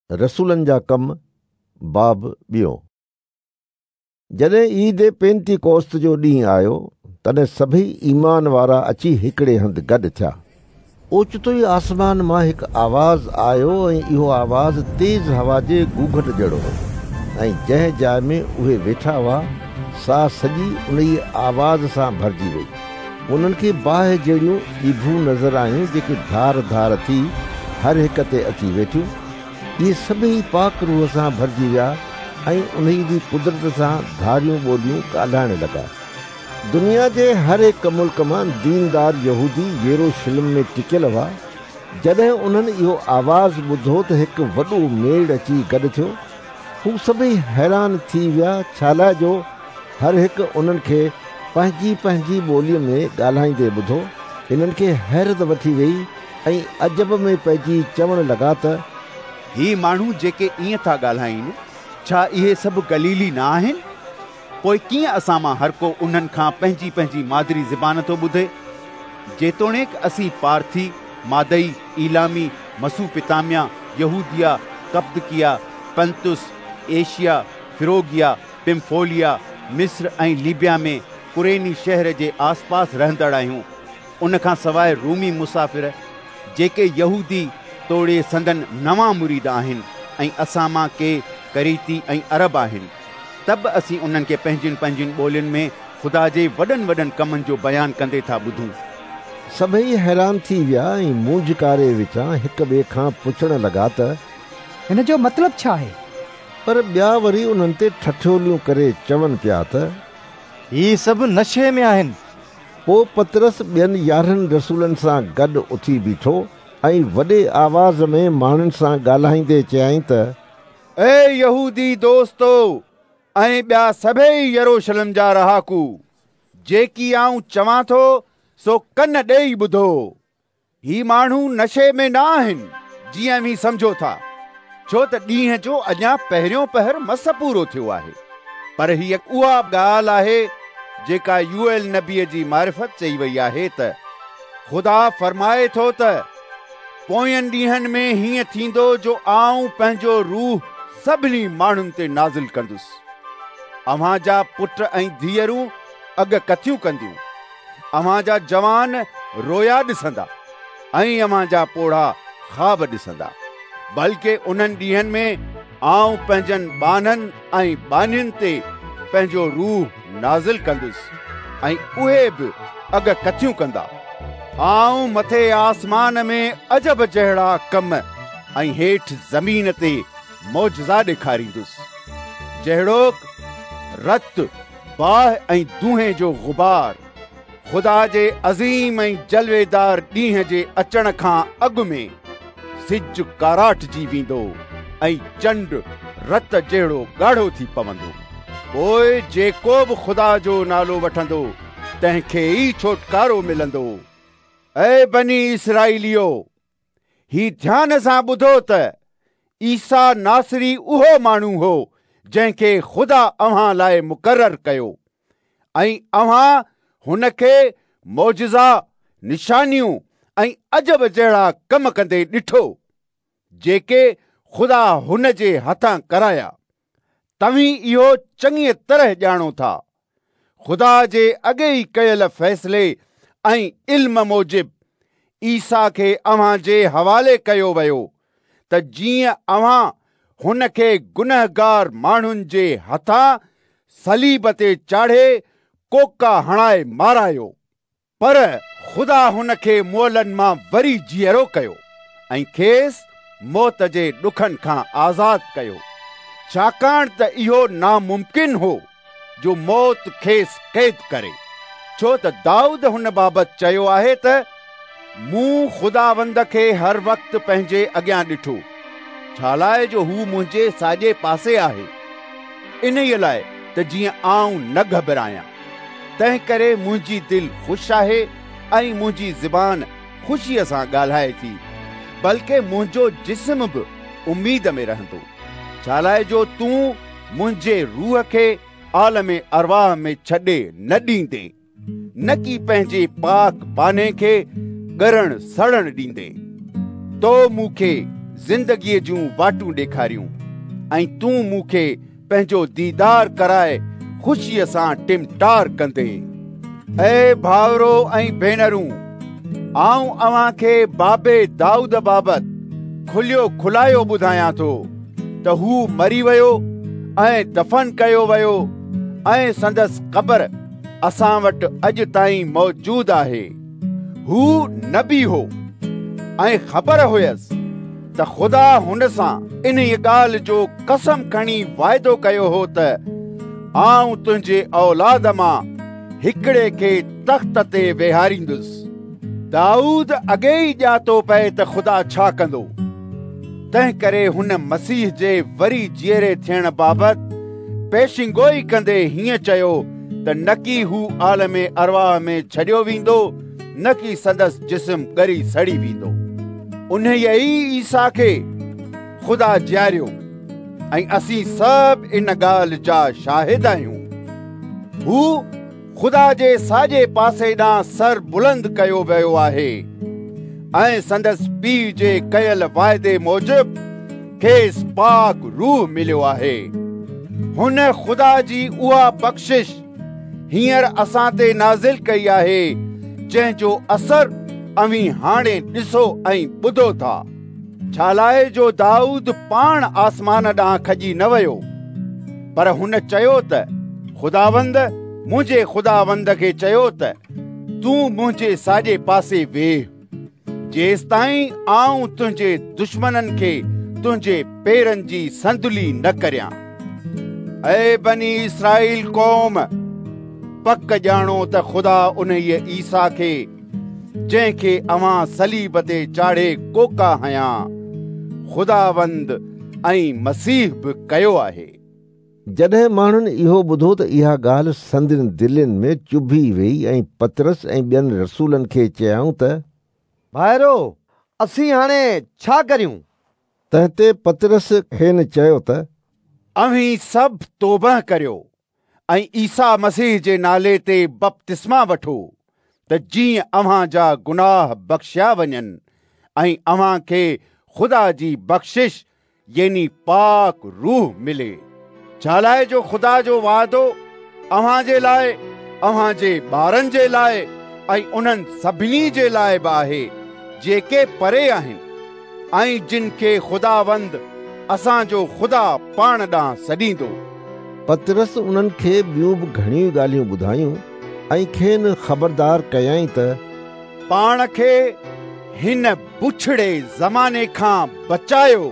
رسولن جا ڪم، باب ٻيون. جڏهن عيد پينتيڪوست جو ڏينهن آيو، تڏهن سڀيئي ايمان وارا اچي هڪڙي هنڌ گڏ ٿيا. اوچتو ئي آسمان مان هڪ آواز آيو ۽ اهو آواز تيز هوا جي گوگهٽ جهڙو هو ۽ جنهن جاء ۾ اهي ويٺا هئا، سا سڄي انهيء آواز سان ڀرجي وئي. انهن کي باهه جهڙيون ڄڀون نظر آيون جيڪي ڌار ڌار ٿي هر هڪ تي اچي ويٺيون. اهي سڀيئي پاڪ روح سان ڀرجي ويا ۽ انهيء جي قدرت سان ڌاريون ٻوليون ڳالهائڻ لڳا. دنيا جي هر هڪ ملڪ مان ديندار يهودي يروشلم ۾ ٽڪيل هئا. جڏهن انهن اهو آواز ٻڌو ته هڪ وڏو ميڙ اچي گڏ ٿيو. هو سڀيئي حيران ٿي ويا، ڇالاء جو هر هڪ انهن کي پنهنجي پنهنجي ٻوليء ۾ ڳالهائيندي ٻڌو. هنن کي حيرت وٺي ويئي ۽ عجب ۾ پئجي چوڻ لڳا ته. هي ماڻهو جيڪي ائين ٿا ڳالهائين، ڇا اهي سڀ گليلي نه آهن؟ پوء ڪيئن اسان مان هرڪو انهن کان پنهنجي پنهنجي مادري زبان ٿو ٻڌي؟ جيتوڻيڪ اسين پارٿي، مادئي، عيلامي، مسوپتاميا، يهوديه، ڪپدڪيه، پنطس، ايشيا، فروگيه، پمفوليا، مصر ۽ ليبيا ۾ ڪريني شهر جي آسپاس رهندڙ آهيون. ان کان سواء رومي مسافر، جيڪي يهودي توڙي سندن نوان مريد آهن ۽ اسان مان ڪي ڪريتي ۽ عرب آهن، ته به اسين انهن کي پنهنجين پنهنجين ٻولين ۾ خدا جي وڏن وڏن ڪمن جو بيان ڪندي ٿا ٻڌون. سڀيئي حيران ٿي ويا ۽ مونجهڪاري وچان هڪ ٻئي کان پڇڻ لڳا ته. هن جو مطلب ڇا آهي؟ پر ٻيا وري انهن تي ٺٺوليون ڪري چون پيا ته. هي سڀ نشي ۾ آهن. پوء پطرس ٻين 11 رسولن سان گڏ اٿي بيٺو ۽ وڏي آواز ۾ ماڻهن سان ڳالهائيندي چيائين ته. اي يهودي دوستو ۽ ٻيا سڀيئي يروشلم جا رهاڪو، جيڪي آئون چوان ٿو سو ڪن ڏيئي ٻڌو. هي ماڻهو نشي ۾ نه آهن، جيئن اوهين سمجهو ٿا، ڇو ته ڏينهن جو اڃا پهريون پهر مس پورو ٿيو آهي. پر هيء اها ڳالهه آهي، جيڪا يوئيل نبيء جي معرفت چئي وئي آهي ته، خدا فرمائي ٿو ته، پوين ڏينهن ۾ هيئن ٿيندو جو آئون پنهنجو روح سڀني ماڻهن تي نازل ڪندس. اوهان جا پٽ ۽ ڌيئرون اڳڪٿيون ڪنديون. اوهان جا جوان رويا ڏسندا ۽ اوهان جا پوڙها خواب ڏسندا. بلڪه انهن ڏينهن ۾ آئون پنهنجن ٻانهن ۽ ٻانهين تي پنهنجو روح نازل ڪندس ۽ اهي به اڳڪٿيون ڪندا. آئون مٿي آسمان ۾ عجب جهڙا ڪم ۽ هيٺ زمين تي معجزا ڏيکاريندس، جهڙوڪ رت، باهه ۽ دونهين جو غبار. خدا جي عظيم ۽ جلويدار ڏينهن جي اچڻ کان اڳ ۾ سج ڪاراٽجي ويندو ۽ چنڊ رت جهڙو ڳاڙهو ٿي پوندو. پوء جيڪو به خدا جو نالو وٺندو تنهن کي ئي ڇوٽڪارو ملندو. اي بني اسرائيليو! هي ڌيان سان ٻڌو ته عيسيٰ ناصري اهو ماڻهو هو جنهن کي خدا اوهان لاء مقرر ڪيو ۽ اوهان هن کي معجزا، نشانيون ۽ عجب جهڙا ڪم ڪندي ڏٺو، جيڪي خدا هن جي هٿان ڪرايا. توهين اهو چڱيء طرح ڄاڻو ٿا. خدا جي اڳي ئي ڪيل فيصلي ۽ علم موجب عيسيٰ کي اوهان جي حوالي ڪيو ويو ته جيئن اوهان هن کي گنهگار ماڻهن جي هٿان صليب تي چاڙهي ڪوڪا هڻائي مارايو. پر خدا هن کي مئلن مان وري جيئرو ڪيو ۽ کيس موت جي ڏکن کان آزاد ڪيو، ڇاڪاڻ ته اهو ناممڪن هو جو موت کيس قيد ڪري. ڇو ته دائود هن بابت چيو آهي ته، مون خداوند کي هر وقت پنهنجي اڳيان ڏٺو، ڇالاء جو هو منهنجي ساڄي پاسي آهي، انهيء لاء ته جيئن آئون نه گهٻرايان. تنهنڪري منهنجي دل خوش آهي ۽ منهنجي زبان خوشيء سان ڳالهائي ٿي، بلڪه منهنجو جسم به اميد ۾ رهندو، ڇالاء جو تون منهنجي روح کي عالم ارواح ۾ ڇڏي نه ڏيندين، نڪي پنهنجي پاڪ ٻانهي کي ڳرڻ سڙڻ ڏيندين. تو مون کي زندگيء جون واٽون ڏيکاريون ۽ تون مون کي پنهنجو ديدار ڪرائي خوشيء سان ٽمٽار ڪندين. اي ڀائرو ۽ ڀينرون، آئون اوهان کي بابي دائود بابت کليو کلايو ٻڌايان ٿو ته هو مري ويو ۽ دفن ڪيو ويو ۽ سندس قبر اسان وٽ اڄ تائين موجود آهي. هو نبي هو ۽ خبر هيس ته خدا هن سان انهيء ڳالهه جو قسم کڻي واعدو ڪيو هو ته آئون تنهنجي اولاد مان هڪڙي کي تخت تي ويهاريندس. دائود اڳي ئي ڄاتو پئي ته خدا ڇا ڪندو، تنهنڪري هن مسيح جي وري جيئري ٿيڻ بابت پيشنگوئي ڪندي هيئن چيو ته نڪي هو عالم ارواح ۾ ڇڏيو ويندو، نڪي سندس جسم ڳري سڙي ويندو. انهيء ئي عيسيٰ کي خدا جياريو ۽ اسين سڀ ان ڳالهه جا شاهد آهيون. هو خدا جي ساڄي پاسي ڏانهن سر بلند ڪيو ويو آهي ۽ سندس پيء جي ڪيل واعدي موجب کيس پاڪ روح مليو آهي. هن خدا جي اها بخشش هينئر اسان تي نازل ڪئي آهي، جنهن جو اثر اوهين هاڻي ڏسو ۽ ٻڌو ٿا. ڇالاء جو دائود پاڻ آسمان ڏانهن کڄي نه ويو، پر هن چيو ته خداوند منهنجي خداوند کي چيو ته تون منهنجي ساڄي پاسي ويهه، جيستائين آئون تنهنجي دشمنن کي تنهنجي پيرن جي صندلي نه ڪريان. اي بني اسرائيل قوم، پڪ ڄاڻو ته خدا انهيء عيسيٰ کي، جنهن کي اوهان صليب تي چاڙهي ڪوڪا هنيا، خداوند ۽ مسيح به ڪيو آهي. جڏهن ماڻهن اهو ٻڌو ته اها ڳالهه سندن دلين ۾ چڀي ويئي ۽ پطرس ۽ ٻين رسولن کي چيائون ته. ڀائرو، اسين هاڻي ڇا ڪريون؟ تنهن تي پطرس کين چيو ته. اوهين سڀ توبهه ڪريو ۽ عيسيٰ مسيح جي نالي تي بپتسما وٺو ته جيئن اوهان جا گناهه بخشيا وڃن ۽ اوهان کي خدا جي بخشش يعني پاڪ روح ملي، ڇالاء جو خدا جو وعدو اوهان جي لاء، اوهان جي ٻارن جي لاء ۽ انهن سڀني جي لاء به آهي جيڪي پري آهن ۽ جن کي خداوند اسان جو خدا پاڻ ڏانهن سڏيندو. پطرس انهن کي ٻيون به گهڻيون ڳالهيون ٻڌايون ۽ کين خبردار ڪيائين ته. پاڻ کي هن بڇڙي زماني کان بچايو.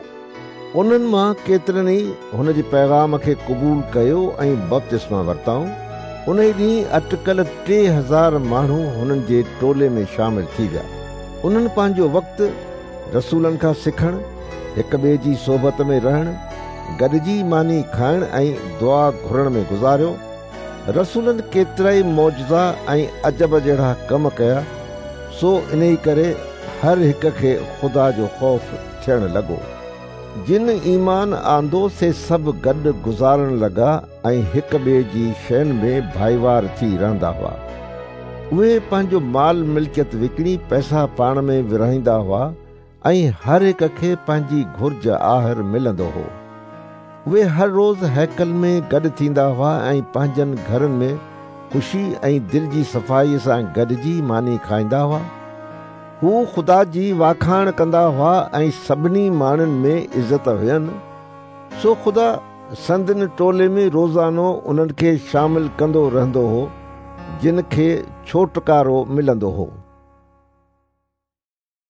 انهن مان ڪيترن ئي هن جي پيغام کي قبول ڪيو ۽ بپتسما ورتائون. انهي ڏينهن اٽڪل 3000 ماڻهو هنن جي ٽولي ۾ شامل ٿي ويا. انهن پنهنجو وقت رسولن کان سکڻ، هڪ ٻئي جي صحبت ۾ رهڻ، گڏجي ماني کائڻ ۽ دعا گهرڻ ۾ گذاريو. رسولن ڪيترائي معجزا ۽ عجب جهڙا ڪم ڪيا، سو انهي ڪري هر هڪ کي خدا جو خوف ٿيڻ لڳو. جن ايمان آندو سي سڀ گڏ گذارڻ لڳا ۽ هڪ ٻئي جي شين ۾ ڀائيوار ٿي رهندا هئا. اهي پنهنجو مال ملڪيت وڪڻي پئسا پاڻ ۾ ورهائيندا هئا ۽ هر هڪ کي پنهنجي گهرج آهر ملندو هو. اهي هر روز هيڪل ۾ گڏ ٿيندا هئا ۽ پنهنجن گهرن ۾ خوشي ۽ دل جي صفائيء سان گڏجي ماني کائيندا هئا. هو خدا جي واکاڻ ڪندا هئا ۽ سڀني ماڻهن ۾ عزت هين. سو خدا سندن ٽولي ۾ روزانو انهن کي شامل ڪندو رهندو هو، جن کي ڇوٽڪارو ملندو هو.